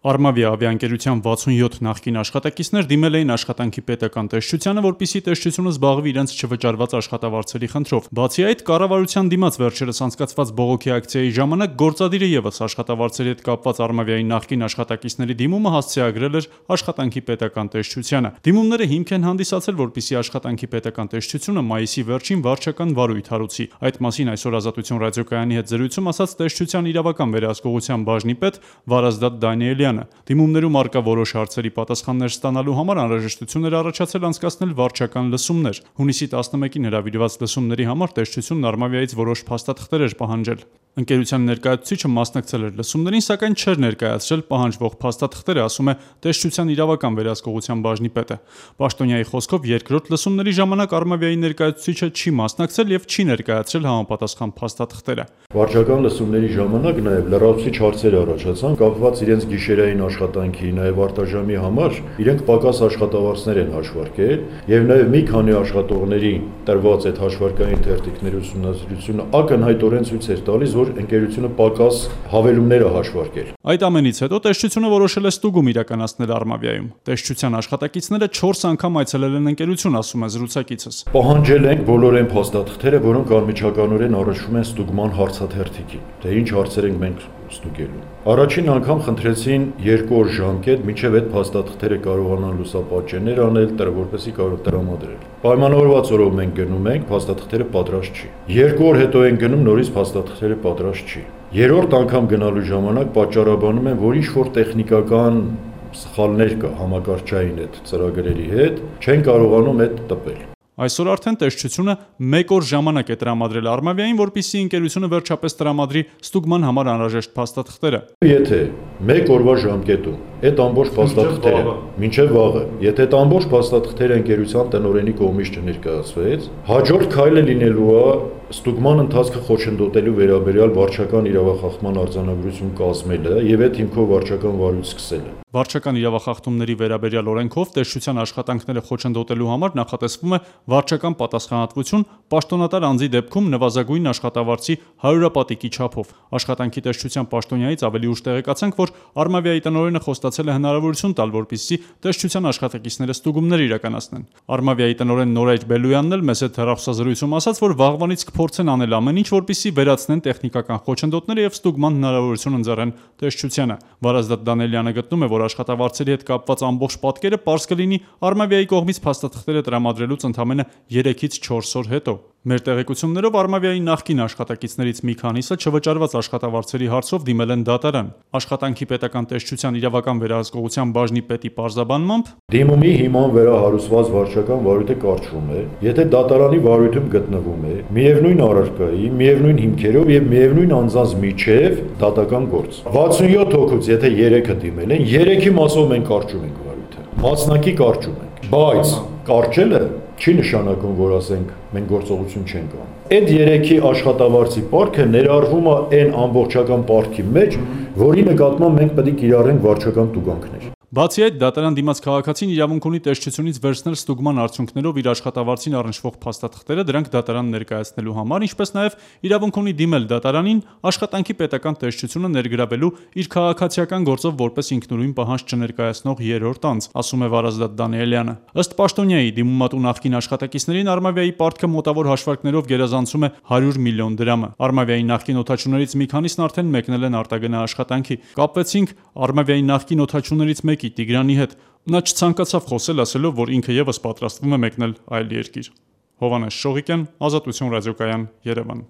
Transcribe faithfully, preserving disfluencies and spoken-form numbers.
Արմավիա ավիաընկերության վաթսունյոթ նախկին աշխատակիցներ դիմել էին աշխատանքի պետական տեսչությանը, որպեսզի տեսչությունը զբաղվի իրենց չվճարված աշխատավարձերի խնդրով։ Բացի այդ, կառավարության դիմաց վերջերս անցկացված բողոքի ակցիայի ժամանակ գործադիրը ևս աշխատավարձերի հետ կապված Արմավիայի նախկին աշխատակիցների դիմումը հասցեագրել էր աշխատանքի պետական տեսչությանը։ Դիմումները հիմք են հանդիսացել, որպեսզի աշխատանքի պետական տեսչությունը մայիսի վերջին վարչական վարույթ հարուցի։ Այդ մասին այսօր Ազատություն ռադիոկայանի հետ զրույցում ասաց տեսչության իրավական վերահսկողության բաժնի պետ Վարազդատ Դանիելյանը։ Դիմումներում առկա որոշ հարցերի պատասխաններ ստանալու համար անհրաժեշտություն էր առաջացել անցկացնել վարչական լսումներ։ Հունիսի տասնմեկին հրավիրված լսումների համար տեսչությունն Արմավիայից որոշ փաստաթղթեր էր պահանջել։ Ընկերության ներկայացուցիչը մասնակցել էր լսումներին, սակայն չէր ներկայացրել պահանջվող փաստաթղթերը, ասում է տեսչության իրավական վերահսկողության բաժնի պետը։ Պաշտոնյայի խոսքով երկրորդ լսումների ժամանակ Արմավիայի ներկայացուցիչը չի մասնակցել եւ չի ներկայացրել համապատասխան փաստաթղթերը։ Վարչական լսումների ժամանակ նաեւ լրացուցիչ հարցեր առաջացան կապված իրենց գիշերային աշխատանքի, նաեւ արտաժամի համար իրենք պակաս աշխատավարձներ են հաշվարկել եւ նաեւ մի քանի աշխատողների տրված այդ հաշվարկային թերթիկների ուսումնասիրությունը ակնհայտորեն ցույց էր տալիս, որ ընկերությունը պակաս հավելումներ է հաշվարկել։ Այդ ամենից հետո տեսչությունը որոշել է ստուգում իրականացնել Արմավիայում։ Տեսչության աշխատակիցները չորս անգամ այցելել են ընկերություն, ասում է զրուցակիցս։ Պահանջել ենք բոլոր այն փաստաթղթերը, որոնք անմիջականորեն առնչվում են ստուգման հարցաթերթիկին, թե ինչ հարցեր ենք մենք ստուգելու։ Առաջին անգամ խնդրեցին երկու օր ժամկետ, մինչև այդ փաստաթղթերը կարողանան լուսապատճեններ անել, որպեսզի կարող տրամադրել։ Պայմանավորված օրով մենք գնում ենք, փաստաթղթերը պատրաստ չի։ Երկու օր հետո ենք գնում, նորից փաստաթղթերը պատրաստ չի։ Երրորդ անգամ գնալու ժամանակ պատճառաբանում են, որ ինչ-որ տեխնիկական սխալներ կա համակարգչային այդ ծրագրերի հետ, չեն կարողանում այդ տպել։ Այսօր արդեն տեսչությունը մեկ օր ժամանակ է տրամադրել Արմավիային, որպեսզի ընկերությունը վերջապես տրամադրի ստուգման համար անհրաժեշտ փաստաթղթերը։ Եթե մեկ օրվա ժամկետում այդ ամբողջ փաստաթղթերը մինչև վաղը, եթե այդ ամբողջ փաստաթղթերը ընկերության տնօրենի կողմից չներկայացվեց, հաջորդ քայլը լինելու է ստուգման ընթացքը խոչընդոտելու վերաբերյալ վարչական իրավախախտման արձանագրություն կազմելը եւ այդ հիմքով վարչական վարույթ սկսելը։ Վարչական իրավախախտումների վերաբերյալ օրենքով տեսչության աշխատանքները խոչընդոտելու համար նախատեսվում է վարչական պատասխանատվություն պաշտոնատար անձի դեպքում նվազագույն աշխատավարձի հարյուրապատիկի չափով։ Աշխատանքի տեսչության պաշտոնյայից ավելի ուշ տեղեկացանք, որ Արմավիայի տնօրենը խոստացել է հնարավորություն տալ, որպեսզի տեսչության աշխատակիցները ստուգումներ իրականացնեն։ Արմավիայի տնօրեն Նորայր Բելոյանն էլ մեծ հեռախոսազրույցում ասաց, որ վաղվանից կփորձեն անել ամեն ինչ, որպեսզի վերացնեն տեխնիկական խոչընդոտները եւ ստուգման հնարավորություն ընձեռեն տեսչությանը։ Վարազդատ Դանիելյանը գտնում է, որ աշխատավարձերի հետ կապված ամբողջ պատկերը պարզ կլինի Արմավիայի կողմից փաստաթղթերը տրամադրելուց ընդամենը երեքից չորս օր հետո։ Մեր տեղեկություններով Արմավիայի նախկին աշխատակիցներից մի քանիսը չվճարված աշխատավարձերի հարցով դիմել են դատարան։ Աշխատանքի պետական տեսչության իրավական վերահսկողության բաժնի պետի պարզաբանմամբ դիմումի հիման վրա հարուցված վարչական վարույթը կարճվում է, եթե դատարանի վարույթում գտնվում է միևնույն առարկայի, միևնույն հիմքերով եւ միևնույն անձանց միջև դատական գործ։ վաթսունյոթ հոգուց եթե երեքը դիմել են, երեքի մասով մենք կարճում ենք վարույթը։ Մասնակի կարճում ենք, բայց կարճելը չի նշանակում, որ ասենք մենք գործողություն չենք անում։ Այդ երեքի աշխատավարձի պարտքը ներառվում է այն ամբողջական պարտքի մեջ, որի նկատմամբ մենք պետք է կիրառենք վարչական տուգանքներ։ Բացի այդ, դատարան դիմաց քաղաքացին իրավունք ունի տեսչությունից վերցնել ստուգման արդյունքներով իր աշխատավարձին առնչվող փաստաթղթերը, դրանք դատարան ներկայացնելու համար, ինչպես նաև իրավունք ունի դիմել դատարանին աշխատանքի պետական տեսչությունը ներգրավելու իր քաղաքացիական գործով որպես ինքնուրույն պահանջ չներկայացնող երրորդ անձ, ասում է Վարազդատ Դանիելյանը։ Ըստ պաշտոնյայի դիմումատու նախկին աշխատակիցներին Արմավիայի պարտքը մոտավոր հաշվարկներով գերազանցում է հարյուր միլիոն դրամը։ Արմավիայի նախկին օդաչուներից մի քանիսն արդեն մեկնել են արտագնա աշխատանքի։ Կապվեցինք Արմավիայի նախկին օդաչուներից մեկի Տիգրանի հետ։ Նա չցանկացավ խոսել, ասելով, որ ինքը եւս պատրաստվում է մեկնել այլ երկիր։ Հովհաննես Շողիկյան, Ազատություն ռադիոկայան, Երևան։